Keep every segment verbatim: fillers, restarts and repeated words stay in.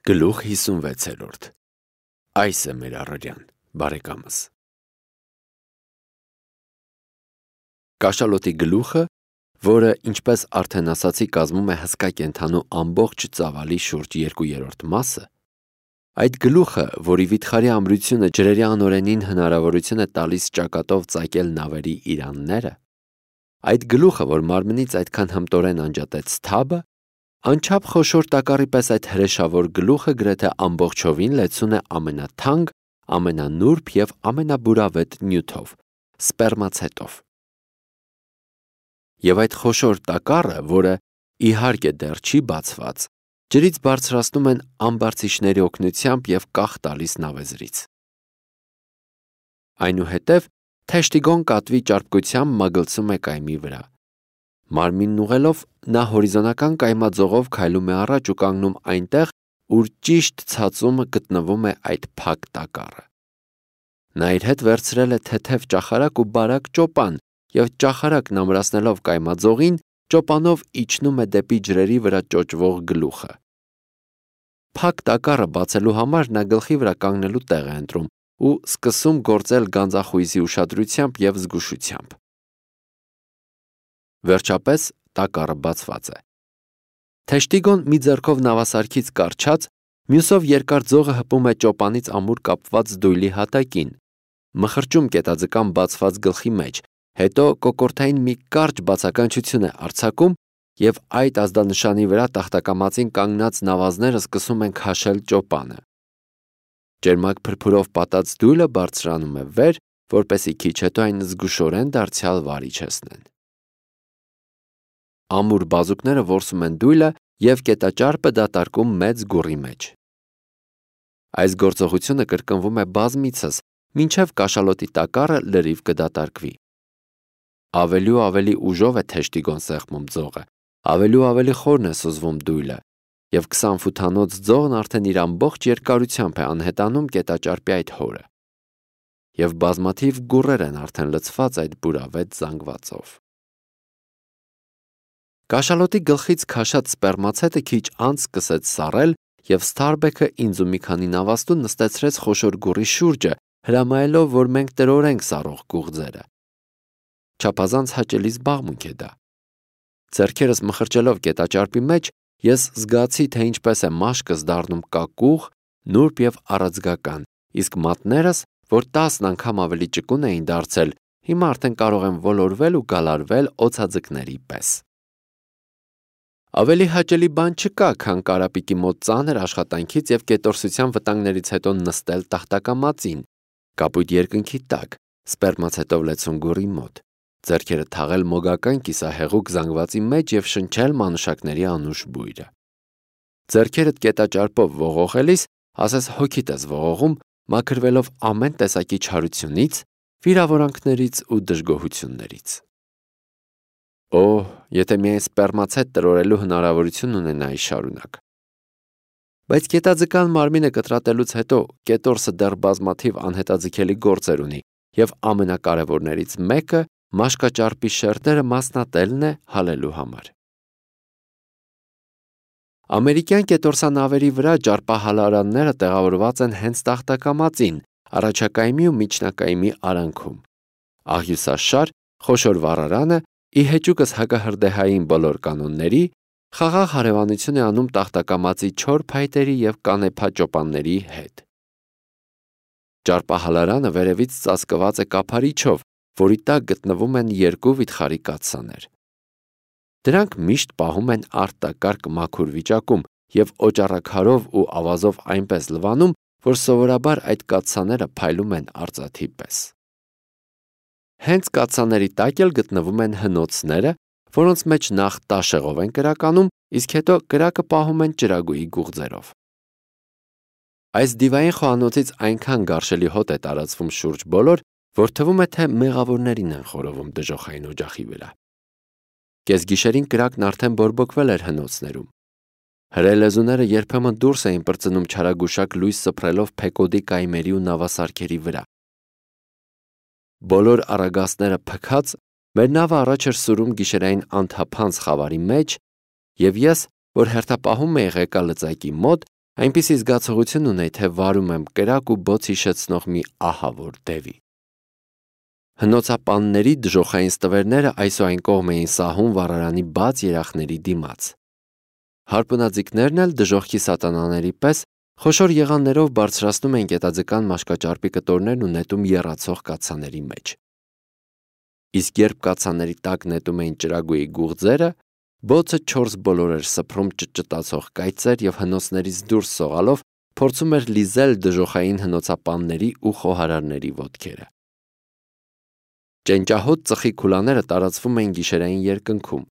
Գլուխ հիսունվեցերորդ Այս է մեր առօրյան, բարեկամս։ Կաշալոտի գլուխը, որը, ինչպես արդեն ասացի, կազմում է հսկա կենդանու ամբողջ ծավալի շուրջ երկու երրորդ մասը, այդ գլուխը, որի վիթխարի ամրությունը ջրերի անօրենին հնարավորություն է տալիս ճակատով ծակել նավերի իրանները, այդ գլուխը, որ մարմնից այդքան հմտորեն անջատեց թաբը, անչափ խոշոր տակառի պես այդ հրեշավոր գլուխը գրեթե ամբողջովին լեցուն է ամենաթանկ, ամենանուրբ և ամենաբուրավետ նյութով՝ սպերմացետով։ Եվ այդ խոշոր տակառը, որը իհարկե դեռ չի բացված, ջրից բարձրացնում են ամբարձիչների օգնությամբ և կախ տալիս նավեզրից։ Այնուհետև թեշտիգոն կատվի ճարպկությամբ մագլցում է կայմի վրա։ Մարմինն ուղղելով, նա հորիզոնական կայմաձողով քայլում է առաջ ու կանգնում այնտեղ, ուր ճիշտ ցածում գտնվում է այդ փակ տակառը։ Նա իր հետ վերցրել է թեթև ճախարակ ու բարակ ճոպան և ճախարակն ամրացնելով կայմաձողին, ճոպանով իջնում է դեպի ջրերի վրա ճոճվող գլուխը։ Փակ տակառը բացելու համար նա գլխի վրա կանգնելու տեղ է ընտրում ու սկսում գործել գանձախույզի ուշադրությամբ և զգուշությամբ։ Վերջապես տակառը բացված է։ Թեշտիգոն մի ձեռքով նավասարքից կառչած, մյուսով երկար ձողը հպում է ճոպանից ամուր կապված դույլի հատակին, մխրճում կետաձկան բացված գլխի մեջ, հետո կոկորդային մի կարճ բացականչություն է արձակում և այդ ազդանշանի վրա տախտակամածին կանգնած նավազները սկսում են քաշել ճոպանը։ Ճերմակ փրփուրով պատած դույլը բարձրանում է վեր, որպեսզի քիչ հետո այն զգուշորեն դարձյալ վարիչեցնեն։ Ամուր բազուկները որսում են դույլը և կետաճարպը դատարկում մեծ գուռի մեջ։ Այս գործողությունը կրկնվում է բազմիցս, մինչև կաշալոտի տակառը լրիվ կդատարկվի։ Ավելի ու ավելի ուժով է թեշտիգոն սեղմում ձողը, ավելի ու ավելի խորն է սուզվում դույլը, և քսան ֆութանոց ձողն արդեն իր ամբողջ երկարությամբ է անհետանում կետաճարպի այդ հորը։ Եվ բազմաթիվ գուռեր են արդեն լցված այդ բուրավետ զանգվածով։ Կաշալոտի գլխից քաշած սպերմացետը քիչ անց սկսեց սառել, և Սթարբեքը ինձ ու մի քանի նավաստու նստեցրեց խոշոր գուռի շուրջը, հրամայելով, որ մենք տրորենք սառող գուղձերը։ Չափազանց հաճելի զբաղմունք է դա։ Ձեռքերս մխրճելով կետաճարպի մեջ, ես զգացի, թե ինչպես է մաշկս դառնում կակուղ, նուրբ և առաձգական, իսկ մատներս, որ տասն անգամ ավելի ճկուն էին դարձել, հիմա արդեն կարող են ոլորվել ու գալարվել օձաձկների պես։ Ավելի հաճելի բան չկա, քան կարապիկի մոտ ծանր աշխատանքից և կետորսության վտանգներից հետո նստել տախտակամածին, կապույտ երկնքի տակ, սպերմացետով լեցուն գուռի մոտ, ձեռքերը թաղել մոգական կիսահեղուկ զանգվածի մեջ և շնչել մանուշակների անուշ բույրը։ Ձեռքերդ կետաճարպով ողողելիս, ասես հոգիդ ես ողողում, մաքրվելով ամեն տեսակի չարությունից, վիրավորանքներից ու դժգոհություններից։ Օհ, եթե միայն սպերմացետ տրորելու հնարավորություն ունենայի շարունակ։ Բայց կետաձկան մարմինը կտրատելուց հետո կետորսը դեռ բազմաթիվ անհետաձգելի գործեր ունի, և ամենակարևորներից մեկը մաշկաճարպի շերտերը մասնատելն է հալելու համար։ Ամերիկյան կետորսանավերի վրա ճարպահալարանները տեղավորված են հենց տախտակամածին, առաջակայմի ու միջնակայմի արանքում։ Աղյուսաշար, խոշոր վառարանը, ի հեճուկս հակահրդեհային բոլոր կանոնների, խաղաղ հարևանություն է անում տախտակամածի չոր փայտերի և կանեփա ճոպանների հետ։ Ճարպահալարանը վերևից ծածկված է կափարիչով, որի տակ գտնվում են երկու վիթխարի կաթսաներ։ Դրանք միշտ պահում են արտակարգ մաքուր վիճակում և օճառաքարով ու ավազով այնպես լվանում, որ սովորաբար այդ կաթսաները փայլում են արծաթի պես։ Հենց կաթսաների տակ էլ գտնվում են հնոցները, որոնց մեջ նախ տաշեղով են կրականում, իսկ հետո կրակը պահում են ճրագույի գուղձերով։ Այս դիվային խոհանոցից այնքան գարշելի հոտ է տարածվում շուրջ բոլոր, որ թվում է, թե մեղավորներին են խորովում դժոխային օջախի վրա։ Կեսգիշերին կրակն արդեն բորբոքվել էր հնոցներում։ Հրելեզուները երբեմն դուրս էին պրծնում չարագուշակ լույս սփռելով փեկոդի կայմերի ու նավասարքերի վրա։ Բոլոր առագաստները փքած, մեր նավը առաջ էր սուրում գիշերային անթափանց խավարի մեջ, և ես, որ հերթապահում էի ղեկալծակի մոտ, Այնպիսի զգացողություն ունեի, թե վարում եմ կրակ ու բոց հիշեցնող մի ահավոր դևի։ Հնոցապանների դժոխային ստվերները այսուայն կողմ էին սահում վառարանի բաց երախների դիմաց։ Հարպունաձիգներն էլ դժոխքի սատանաների պես խոշոր եղաններով բարձրացնում էին գետաձկան մաշկաճարպի կտորներն ու նետում եռացող կաթսաների մեջ։ Իսկ երբ կաթսաների տակ նետում էին ճրագույի գուղձերը, բոցը չորս բոլոր էր սփռում ճտճտացող կայծեր և հնոցներից դուրս սողալով փորձում էր լիզել դժոխային հնոցապանների ու խոհարարների ոտքերը։ Ճենճահոտ ծխի քուլաները տարածվում էին գիշերային երկնքում։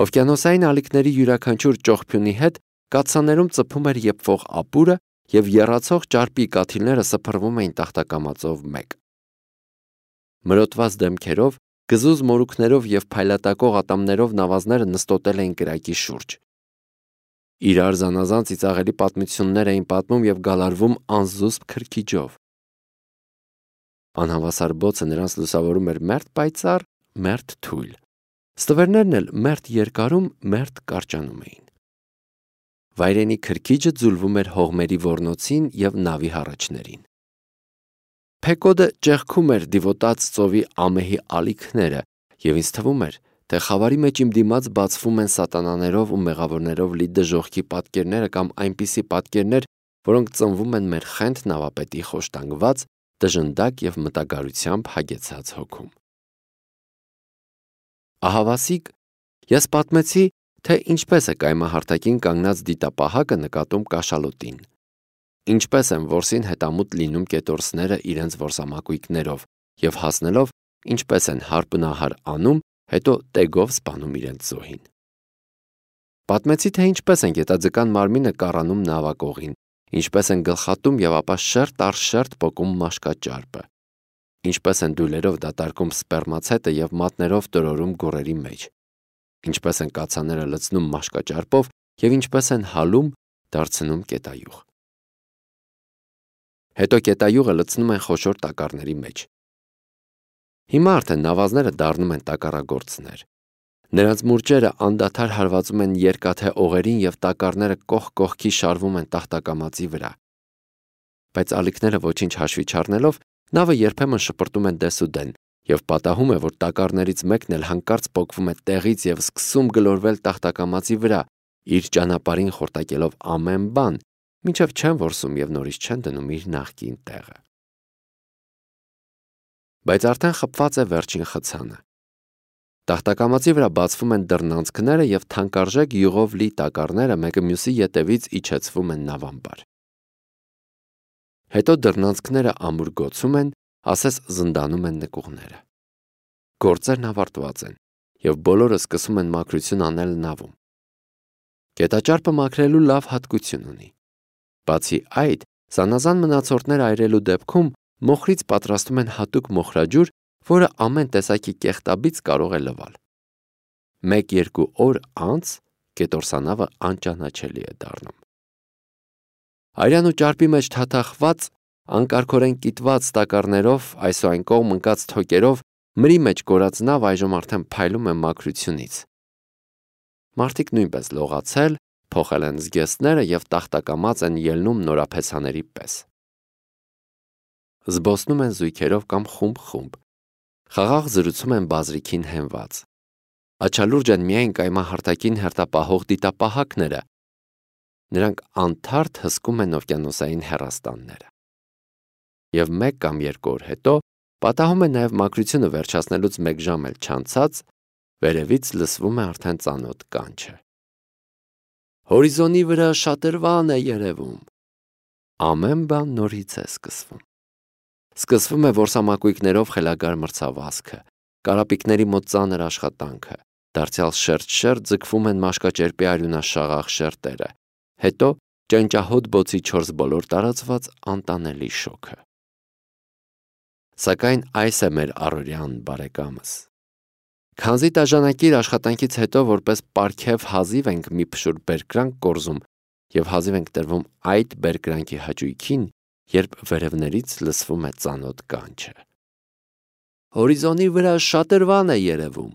Օվկիանոսային ալիքների յուրաքանչյուր ճողփյունի հետ կաթսաներում ծփում էր եփվող ապուրը և եռացող ճարպի կաթիլները սփռվում էին տախտակամածով մեկ։ Մրոտված դեմքերով, գզուզ մորուքներով և փայլատակող ատամներով նավազները նստոտել էին կրակի շուրջ։ Իրար զանազան ծիծաղելի պատմություններ էին պատմում և գալարվում անզուսպ քրքիջով։ Անհավասար բոցը նրանց լուսավորում էր մերթ պայծառ, մերթ թույլ։ Ստվերներն էլ մերթ երկարում, մերթ կարճանում էին։ Վայրենի քրքիջը ձուլվում էր հողմերի ոռնոցին և նավի հառաչներին։ Փեկոդը ճեղքում էր դիվոտած ծովի ամեհի ալիքները, և ինձ թվում էր, թե խավարի մեջ իմ դիմաց բացվում են սատանաներով ու մեղավորներով լի դժոխքի պատկերները կամ այնպիսի պատկերներ, որոնք ծնվում են մեր խենթ նավապետի խոշտանգված, տժնդակ և մտագարությամբ հագեցած հոգում։ Ահավասիկ, ես պատմեցի, թե ինչպես է կայմահարթակին կանգնած դիտապահակը նկատում կաշալոտին, ինչպես են որսին հետամուտ լինում կետորսները իրենց որսամակույկներով և հասնելով ինչպես են հարպնահար անում, հետո տեգով սպանում իրենց զոհին։ Պատմեցի, թե ինչպես են գետաձկան մարմինը կառանում նավակողին, ինչպես են գլխատում և ապա շերտ առ շերտ պոկում մաշկաճարպը, ինչպես են դույլերով դատարկում սպերմացետը և մատներով տրորում գուռերի մեջ, ինչպես են կաթսաները լցնում մաշկաճարպով և ինչպես են հալում, դարձնում կետայուղ։ Հետո կետայուղը լցնում են խոշոր տակառների մեջ։ Հիմա արդեն նավազները դառնում են տակառագործներ։ Նրանց մուրճերը անդադար հարվածում են երկաթե օղերին և տակառները կողք կողքի շարվում են տախտակամածի վրա։ Բայց ալիքները ոչինչ հաշվի չառնելով, նավը երբեմն շպրտում են դեսուդեն և պատահում է, որ տակառներից մեկն էլ հանկարծ պոկվում է տեղից և սկսում գլորվել տախտակամածի վրա, իր ճանապարհին խորտակելով ամեն բան, մինչև չեն որսում և նորից չեն դնում իր նախկին տեղը։ Բայց արդեն խփված է վերջին խցանը։ Տախտակամածի վրա բացվում են դռնանցքները և թանկարժեք յուղով լի տակառները մեկը մյուսի ետևից իջեցվում են նավամբար։ Հետո դռնանցքները ամուր գոցում են, ասես զնդանում են նկուղները։ Գործերն ավարտված են, և բոլորը սկսում են մաքրություն անել նավում։ Գետաճարպը մաքրելու լավ հատկություն ունի։ Բացի այդ, զանազան մնացորդներ այրելու դեպքում մոխրից պատրաստում են հատուկ մոխրաջուր, որը ամեն տեսակի կեղտաբիծ կարող է լվալ։ Մեկ-երկու օր անց կետորսանավը անճանաչելի է դառնում։ Արյան ու ճարպի մեջ թաթախված, անկարգորեն կիտված տակառներով, այսուայն կողմ ընկած թոկերով մրի մեջ կորած նավ այժմ արդեն փայլում է մաքրությունից։ Մարդիկ նույնպես լողացել, փոխել են զգեստները և տախտակամած են ելնում նորափեսաների պես։ Զբոսնում են զույգերով կամ խումբ-խումբ։ Խաղաղ զրուցում են բազրիքին հենված։ Աչալուրջ են միայն կայմահարթակին հերթապահող դիտապահակները։ Նրանք անթարթ հսկում են օվկիանոսային հեռաստանները։ Եվ մեկ կամ երկու օր հետո պատահում է նաև մաքրությունը վերջացնելուց մեկ ժամ էլ չանցած, վերևից լսվում է արդեն ծանոթ կանչը։ Հորիզոնի վրա շատրվան է երևում։ Ամեն բան նորից է սկսվում։ Սկսվում է որսամակույկներով խելագար մրցավազքը, կարապիկների մոտ ծանր աշխատանքը, դարձյալ շերտ-շերտ ձգվում են մաշկաճերպի արյունաշաղախ շերտերը, հետո ճենճահոտ բոցի չորս բոլոր տարածված անտանելի շոգը։ Սակայն այս է մեր առօրյան, բարեկամս։ Քանզի տաժանակիր աշխատանքից հետո որպես պարգև հազիվ ենք մի փշուր բերկրանք կորզում և հազիվ ենք տրվում այդ բերկրանքի հաճույքին, երբ վերևներից լսվում է ծանոթ կանչը։ Հորիզոնի վրա շատրվան է երևում։